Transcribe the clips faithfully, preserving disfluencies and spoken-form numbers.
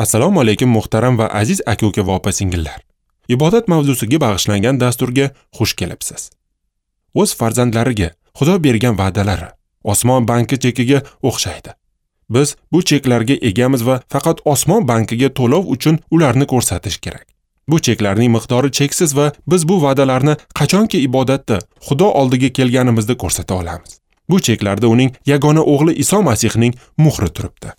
Assalomu alaykum muhtaram va aziz aka-uka va opa-singillar. Ibodat mavzusiga bag'ishlangan dasturga xush kelibsiz. O'z farzandlariga Xudo bergan va'dalari osmon banki chekiga o'xshaydi. Biz bu cheklarga egamiz va faqat osmon bankiga to'lov uchun ularni ko'rsatish kerak. Bu cheklarning miqdori cheksiz va biz bu va'dalarni qachonki ibodatda Xudo oldiga kelganimizda ko'rsata olamiz. Bu cheklarda uning yagona o'g'li Iso Masihning muhri turibdi.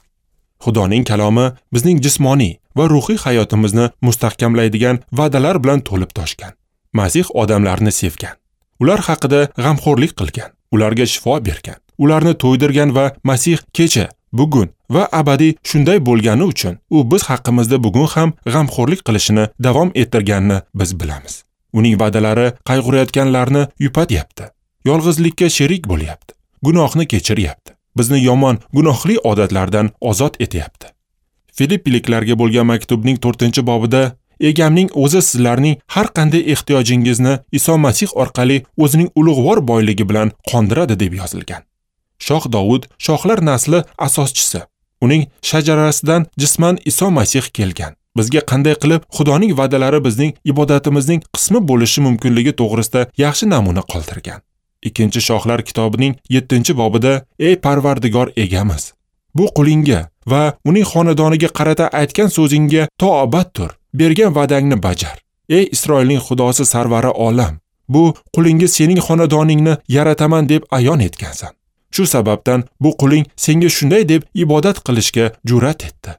Xudoning kalomi bizning jismoniy va ruhiy hayotimizni mustahkamlaydigan va'dalar bilan to'lib toshgan. Masih odamlarni sevgan. Ular haqida g'amxo'rlik qilgan, ularga shifo bergan, ularni to'ydirgan va Masih kecha, bugun va abadiy shunday bo'lgani uchun u biz haqimizda bugun ham g'amxo'rlik qilishini davom ettirganini biz bilamiz. Uning va'dalari qayg'urayotganlarni yupatyapti, yolg'izlikka sherik bo'lyapti, gunohni kechiryapti, bizni yomon gunohli odatlardan ozod etyapti. Filippiliklarga bo'lgan maktubning to'rtinchi bobida Egamning o'zi sizlarning har qanday ehtiyojingizni Iso Masih orqali o'zining ulug'vor boyligi bilan qondiradi deb yozilgan. Shoh Dovud shohlar nasli asoschisi. Uning shajarasidan jisman Iso Masih kelgan. Bizga qanday qilib Xudoning va'dalari bizning ibodatimizning qismi bo'lishi mumkinligi to'g'risida yaxshi namuna qoldirgan. Ikkinchi Shohlar kitobining yettinchi bobida Ey Parvardigor egamiz, bu qulingga va uning xonadoniga qarata aytgan so'zingga to abad tur, bergan va'dangni bajar. Ey Isroilning Xudosi sarvari olam, bu qulingga sening xonadoningni yarataman deb ayon etgansan. Shu sababdan bu quling senga shunday deb ibodat qilishga jur'at etdi.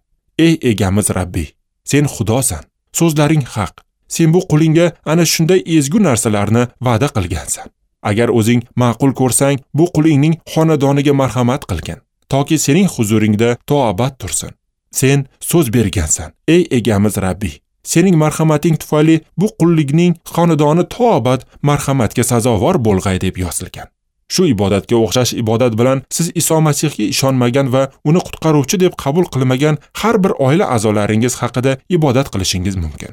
Ey egamiz Rabbiy, sen Xudosan, so'zlaring haq. Sen bu qulingga ana shunday ezgu narsalarni va'da qilgansan. Agar o'zing ma'qul ko'rsang, bu qulingning xonadoniga marhamat qilgin, toki sening huzuringda to abad tursin. Sen so'z bergansan, ey egamiz Rabbiy. Sening marhamating tufayli bu qullikning xonadoni to abad marhamatga sazovor bo'lg'ay deb yozilgan. Shu ibodatga o'xshash ibodat bilan siz Iso Masihga ishonmagan va uni qutqaruvchi deb qabul qilmagan har bir oila a'zolaringiz haqida ibodat qilishingiz mumkin.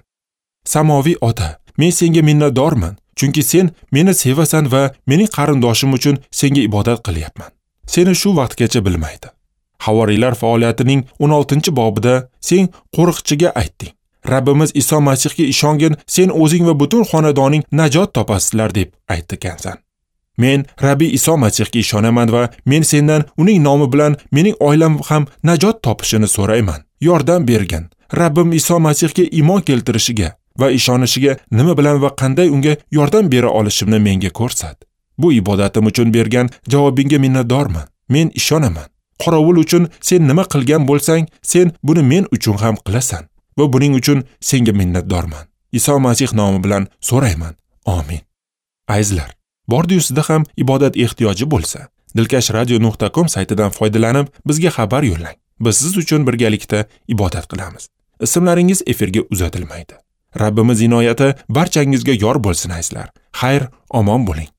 Samoviy ota, men senga minnatdorman, chunki sen meni sevasan va mening qarindoshim uchun senga ibodat qilyapman. Seni shu vaqtgacha bilmaydi. Havoriylar faoliyatining o'n oltinchi bobida sen qo'riqchiga aytding: Rabbimiz Iso Masihga ishongin, sen o'zing va butun xonadoning najot topasizlar deb aytgansan. Men Rabbi Iso Masihga ishonaman va men sendan uning nomi bilan mening oilam ham najot topishini so'rayman. Yordam bergin. Rabbim Iso Masihga iymon keltirishiga va ishonishiga nima bilan va qanday unga yordam bera olishimni menga ko'rsat. Bu ibodatim uchun bergan javobingga minnatdorman. Men ishonaman. Qorovul uchun sen nima qilgan bo'lsang, sen buni men uchun ham qilasan va buning uchun senga minnatdorman. Iso Masih nomi bilan so'rayman. Amin. Azizlar, bordi-yu sizda ham ibodat ehtiyoji bo'lsa, dilkash radio nuqta com saytidan foydalanib bizga xabar yo'llang. Biz siz uchun birgalikda ibodat qilamiz. Ismlaringiz efirga uzatilmaydi. Rabbimiz inoyati barchangizga yor bo'lsin azizlar. Xayr, omon bo'ling.